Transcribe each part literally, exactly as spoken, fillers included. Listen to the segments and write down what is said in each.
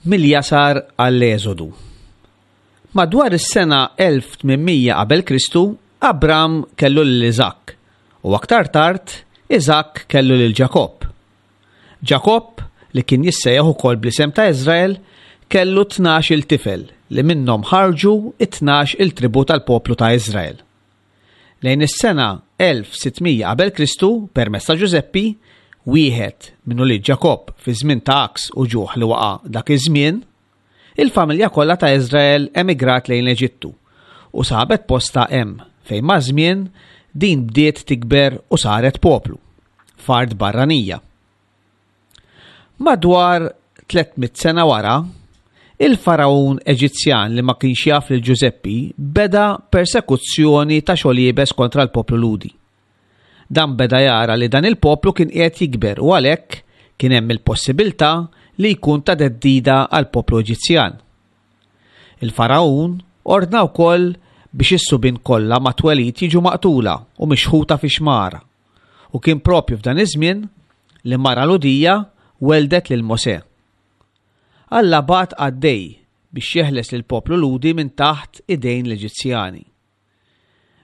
Mill-jasar għall-Eżodu. Madwar is-sena elf tmien mija qabel Kristu, Abram kellu lil Iżakk u aktar tard Iżakk kellu lil Ġakobb. Ġakobb, li kien jissejjaħ ukoll bl-isem ta' Iżrael, kellu tnax il tifel li minnhom ħarġu it-tnax il-tribu tal-poplu ta' Iżrael. Lejn is-sena elf sitt mija qabel Kristu, permezz ta' Ġużeppi, wieħed minn ulied Ġakobb fi żmien ta' għaks u ġuħ li waqa' dak iż-żmien, il-familja kollha ta' Iżrael emigrat lejn l-Eġittu u sabet posta hemm fejn maż-żmien din bdiet tikber u saret poplu, f'art barranija. Madwar tliet mitt sena wara, il-faraun Eġizzjan li ma kienx jaf lil Ġużeppi beda persekuzzjoni ta' xogħol iebes kontra l-poplu Lhudi. Dan beda jara li dan il-poplu kien qiegħed jikber u għalhekk kien hemm il-possibilità li jkun ta' theddida għall-poplu Eġizzjan. Il-faraun ordna wkoll biex is-subien kollha mat-twelid jiġu maqtula u mixħuta fi xmara. U kien propju f'dan iż-żmien li mara Lhudija weldet lil Mosè. Alla bagħat qaddej biex jeħles lil poplu Lhudi minn taħt idejn l-Eġizzjani.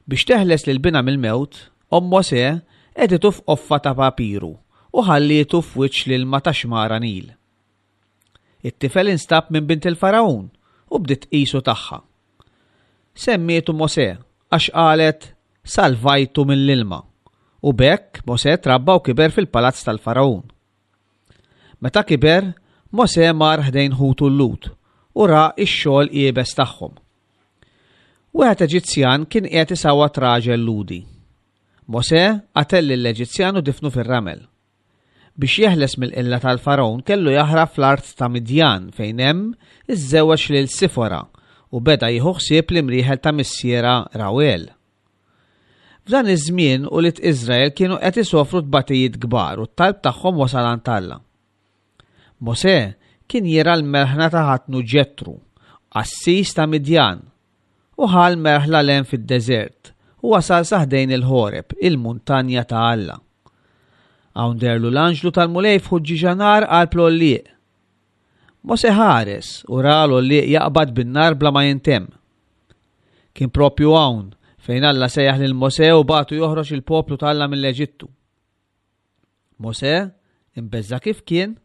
Biex teħles lil binha mill-mewt, omm Mosè qegħditu f'qoffa ta' papiru u ħallietu f'wiċċ l-ilma ta' xmara Nil. It-tifel instab minn bint il-Faraun u bdiet tqisu tagħha. Semmietu Mosè għax qalet salvajtu mill-ilma, u b'hekk Mosè trabba u kiber fil-palazz tal-Faraun. Meta kiber, Mosè mar ħdejn ħutu l-Lhud u ra x-xogħol iebes tagħhom. Wieħed Eġizzjan kien qiegħed isawwat raġel Lhudi. Mosè qatel lill-Eġizzjan u difnu fir-ramel. Biex jeħles mill-qilla tal-Faraon kellu jaħrab fl-art ta' Midjan fejn hemm iżżewweġ lil Sifora u beda jieħu ħsieb l-imrieħel ta' missierha Rawel. F'dan iż-żmien ulied Iżrael kienu qed isofru tbatijiet kbar u t-talb tagħhom wasal għand Alla. Mosè kien jirgħa l-merħla ta' ħatnu Ġetru, qassis ta' Midjan, u ħa l-merħla 'l hemm fid-deżert u wasal sa ħdejn il-Ħoreb, il-muntanja ta' Alla. Hawn deherlu l-anġlu tal-Mulej f'ħuġġieġa nar qalb l-għollieq. Mosè ħares u ra l-għollieq jaqbad bin-nar bla ma jintemm. Kien propju hawn fejn Alla sejjaħ lil Mosè u bagħtu joħroġ il-poplu ta' Alla mill-Eġittu. Mosè, imbeżża' kif kien,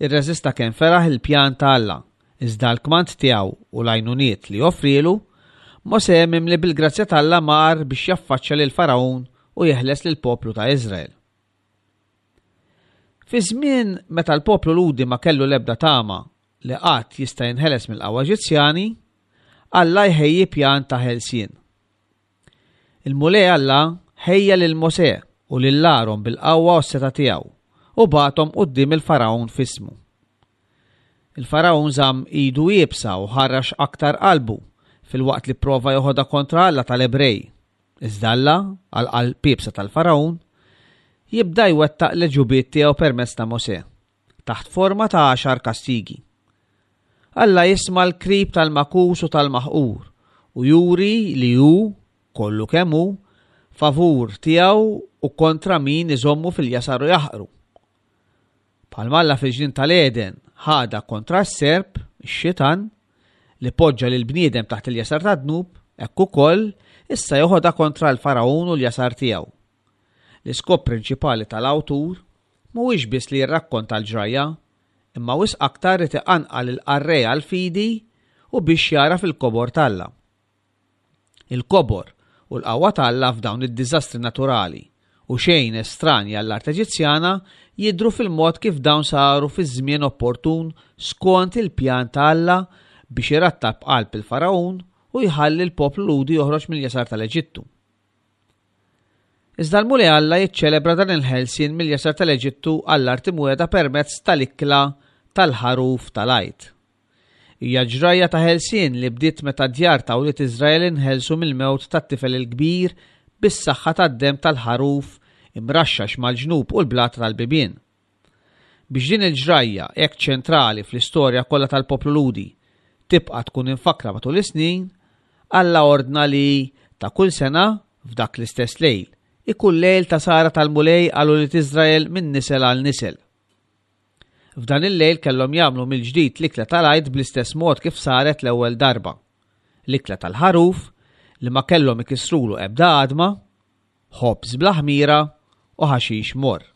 irreżista kemm feraħ il-pjan ta' Alla, iżda l-kmand tiegħu u l-għajnuniet li offrielu, Mosè mimli bil-grazzja t'Alla mar biex jaffaċċja lil Faraun u jeħles lil poplu ta' Iżrael. Fi żmien meta l-poplu Lhudi ma kellu l-ebda tama li qatt jista' jinħeles mill-qawwa Eġizzjani, Alla jħejji pjan ta' ħelsien. Il-Mulej Alla ħejja lil Mosè u lil Aron bil-qawwa u s-setgħa tiegħu u bagħathom quddiem il-Faraun f'ismu. Il-Faraun żamm idu iebsa u ħarrax aktar qalbu filwaqt li prova joħodha kontra Alla tal-Ebrej. Iżda Alla, għal qalb iebsa tal-Faraun, jibda jwettaq l-għeġubijiet tiegħu permezz ta' Mosè, taħt forma ta' għaxar kastigi. Alla jisma' l-krib tal-magħkus u tal-maħqur u juri li hu, kollu kemm hu, favur tiegħu u kontra min iżommu fil-jasar u jaħqru. Bħalma Alla fil-ġnien tal-Eden ħadha kontra s-serp, ix-xitan, li poġġa lil bniedem taħt il-jasar ta' dnub, hekk ukoll issa joħodha kontra l-Faraun u l-jasar tiegħu. L-iskop prinċipali tal-awtur mhuwiex biss li jirrakkonta l-ġrajja, imma wisq aktar irid iqanqal il-qarrej għall-fidi u biex jara fil-kobor t'Alla. Il-kobor u l-qawwa t'Alla f'dawn id-diżastri naturali u xejn estranja għall-art Eġizzjana jidhru fil-mod kif dawn saru fi żmien opportun skont il-pjan ta' Alla biex irattab qalb il-Faraun u jħalli l-poplu Lhudi joħroġ mill-jasar tal-Eġittu. Iżda l-Mulej Alla jiċċelebra dan il-ħelsien mill-jasar tal-Eġittu għall-art imwiegħda permezz tal-ikla tal-ħaruf tal-Għid. Hija ġrajja ta' ħelsien li bdiet meta djar ta' wlied Iżrael inħelsu mill-mewt tat-tifel il-kbir bis-saħħa tad-demm tal-ħaruf imraxxax mal-ġnub u l-blata tal-bibien. Biex din il-ġrajja hekk ċentrali fl-istorja kollha tal-poplu Lhudi tibqa' tkun imfakkra matul is-snin, Alla ordna li ta' kull sena f'dak l-istess lejl ikun lejl ta' sahra tal-Mulej għal ulied Iżrael minn nisel għal nisel. F'dan il-lejl kellhom jagħmlu mill-ġdid l-ikla tal-Għid bl-istess mod kif saret l-ewwel darba. L-ikla tal-ħaruf li ma kellhom ikissrulu ebda għadma, ħobż bla ħmira u ħaxix morr.